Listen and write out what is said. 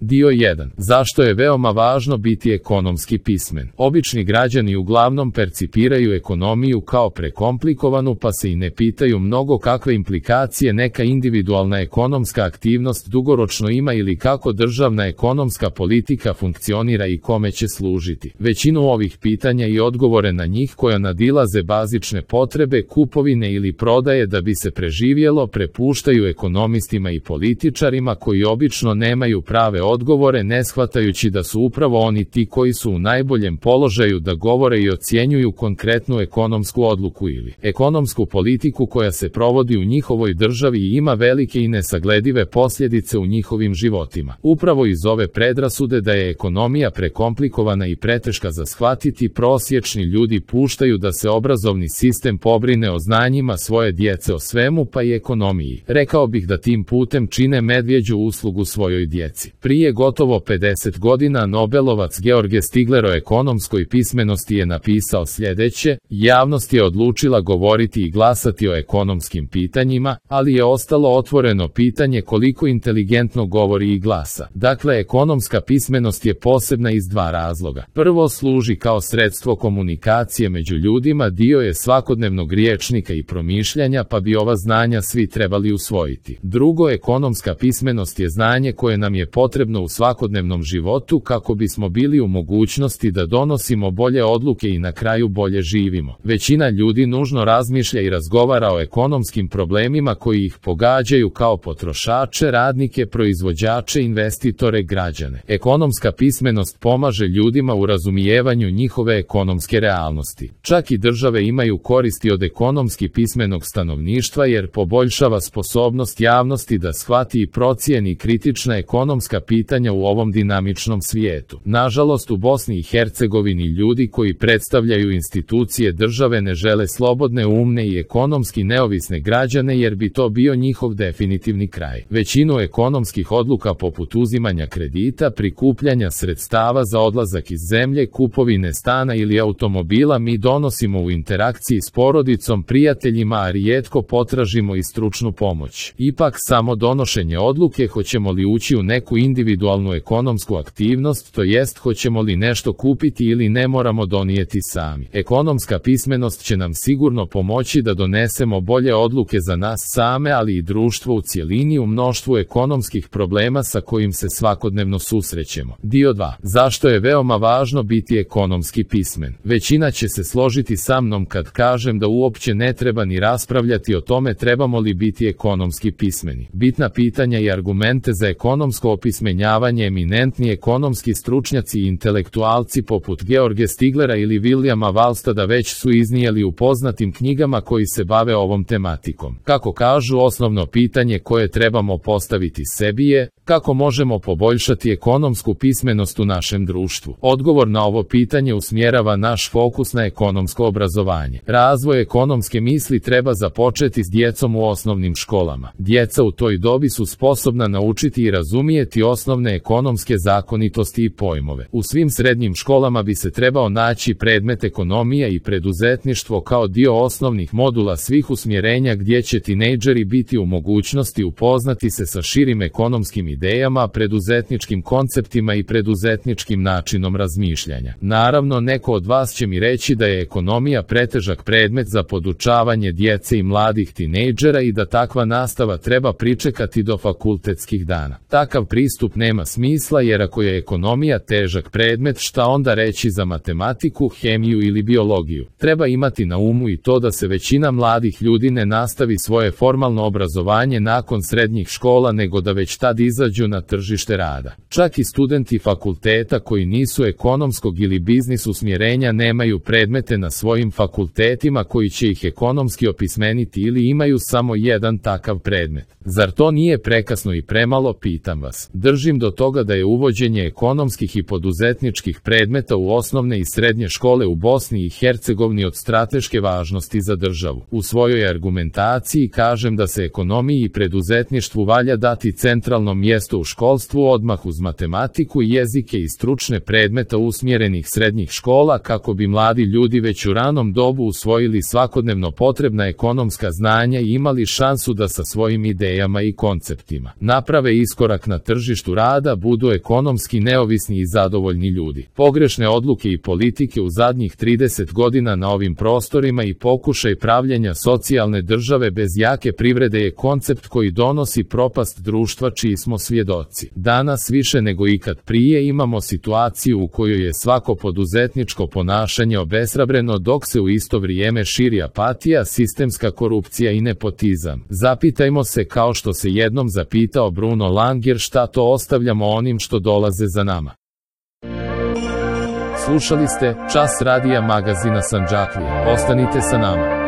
Dio 1. Zašto je veoma važno biti ekonomski pismen? Obični građani uglavnom percipiraju ekonomiju kao prekomplikovanu pa se i ne pitaju mnogo kakve implikacije neka individualna ekonomska aktivnost dugoročno ima ili kako državna ekonomska politika funkcionira i kome će služiti. Većinu ovih pitanja i odgovore na njih koja nadilaze bazične potrebe, kupovine ili prodaje da bi se preživjelo prepuštaju ekonomistima i političarima koji obično nemaju prave odgovore ne shvatajući da su upravo oni ti koji su u najboljem položaju da govore i ocjenjuju konkretnu ekonomsku odluku ili ekonomsku politiku koja se provodi u njihovoj državi i ima velike i nesagledive posljedice u njihovim životima. Upravo iz ove predrasude da je ekonomija prekomplikovana i preteška za shvatiti prosječni ljudi puštaju da se obrazovni sistem pobrine o znanjima svoje djece o svemu pa i ekonomiji. Rekao bih da tim putem čine medvjeđu uslugu svojoj djeci. Prije gotovo 50 godina Nobelovac George Stigler o ekonomskoj pismenosti je napisao sljedeće: javnost je odlučila govoriti i glasati o ekonomskim pitanjima, ali je ostalo otvoreno pitanje koliko inteligentno govori i glasa. Dakle, ekonomska pismenost je posebna iz dva razloga. Prvo, služi kao sredstvo komunikacije među ljudima, dio je svakodnevnog rječnika i promišljanja pa bi ova znanja svi trebali usvojiti. Drugo, ekonomska pismenost je znanje koje nam je potrebno u svakodnevnom životu kako bismo bili u mogućnosti da donosimo bolje odluke i na kraju bolje živimo. Većina ljudi nužno razmišlja i razgovara o ekonomskim problemima koji ih pogađaju kao potrošače, radnike, proizvođače, investitore, građane. Ekonomska pismenost pomaže ljudima u razumijevanju njihove ekonomske realnosti. Čak i države imaju koristi od ekonomski pismenog stanovništva jer poboljšava sposobnost javnosti da shvati i procijeni kritična ekonomska pitanja u ovom dinamičnom svijetu. Nažalost, u Bosni i Hercegovini ljudi koji predstavljaju institucije države ne žele slobodne, umne i ekonomski neovisne građane jer bi to bio njihov definitivni kraj. Većinu ekonomskih odluka poput uzimanja kredita, prikupljanja sredstava za odlazak iz zemlje, kupovine stana ili automobila mi donosimo u interakciji s porodicom, prijateljima, a rijetko potražimo i stručnu pomoć. Ipak samo donošenje odluke hoćemo li ući u neku individualnu ekonomsku aktivnost, to jest hoćemo li nešto kupiti ili ne moramo donijeti sami. Ekonomska pismenost će nam sigurno pomoći da donesemo bolje odluke za nas same, ali i društvo u cjelini u mnoštvu ekonomskih problema sa kojim se svakodnevno susrećemo. Dio 2. Zašto je veoma važno biti ekonomski pismen? Većina će se složiti sa mnom kad kažem da uopće ne treba ni raspravljati o tome trebamo li biti ekonomski pismeni. Bitna pitanja i argumente za ekonomsko opismenjavanje eminentni ekonomski stručnjaci i intelektualci poput George Stiglera ili Williama Wallstada već su iznijeli u poznatim knjigama koji se bave ovom tematikom. Kako kažu, osnovno pitanje koje trebamo postaviti sebi je kako možemo poboljšati ekonomsku pismenost u našem društvu. Odgovor na ovo pitanje usmjerava naš fokus na ekonomsko obrazovanje. Razvoj ekonomske misli treba započeti s djecom u osnovnim školama. Djeca u toj dobi su sposobna naučiti i razumijeti osnovne ekonomske zakonitosti i pojmove. U svim srednjim školama bi se trebao naći predmet ekonomija i preduzetništvo kao dio osnovnih modula svih usmjerenja gdje će tinejdžeri biti u mogućnosti upoznati se sa širim ekonomskim idejama, preduzetničkim konceptima i preduzetničkim načinom razmišljanja. Naravno, neko od vas će mi reći da je ekonomija pretežak predmet za podučavanje djece i mladih tinejdžera i da takva nastava treba pričekati do fakultetskih dana. Takav pristup nema smisla jer ako je ekonomija težak predmet, šta onda reći za matematiku, hemiju ili biologiju? Treba imati na umu i to da se većina mladih ljudi ne nastavi svoje formalno obrazovanje nakon srednjih škola nego da već tad izađu na tržište rada. Čak i studenti fakulteta koji nisu ekonomskog ili biznis usmjerenja nemaju predmete na svojim fakultetima koji će ih ekonomski opismeniti ili imaju samo jedan takav predmet. Zar to nije prekasno i premalo, pitam vas. Držim do toga da je uvođenje ekonomskih i poduzetničkih predmeta u osnovne i srednje škole u Bosni i Hercegovini od strateške važnosti za državu. U svojoj argumentaciji kažem da se ekonomiji i preduzetništvu valja dati centralno mjesto u školstvu odmah uz matematiku, jezike i stručne predmeta usmjerenih srednjih škola kako bi mladi ljudi već u ranom dobu usvojili svakodnevno potrebna ekonomska znanja i imali šansu da sa svojim idejama i konceptima naprave iskorak na tržištu tržištu rada budu ekonomski neovisni i zadovoljni ljudi. Pogrešne odluke i politike u zadnjih 30 godina na ovim prostorima i pokušaj pravljenja socijalne države bez jake privrede je koncept koji donosi propast društva čiji smo svjedoci. Danas više nego ikad prije imamo situaciju u kojoj je svako poduzetničko ponašanje obeshrabreno dok se u isto vrijeme širi apatija, sistemska korupcija i nepotizam. Zapitajmo se kao što se jednom zapitao Bruno Langer šta to ostavljamo onim što dolaze za nama. Slušali ste Čas radija magazina Sandžaklije. Ostanite sa nama.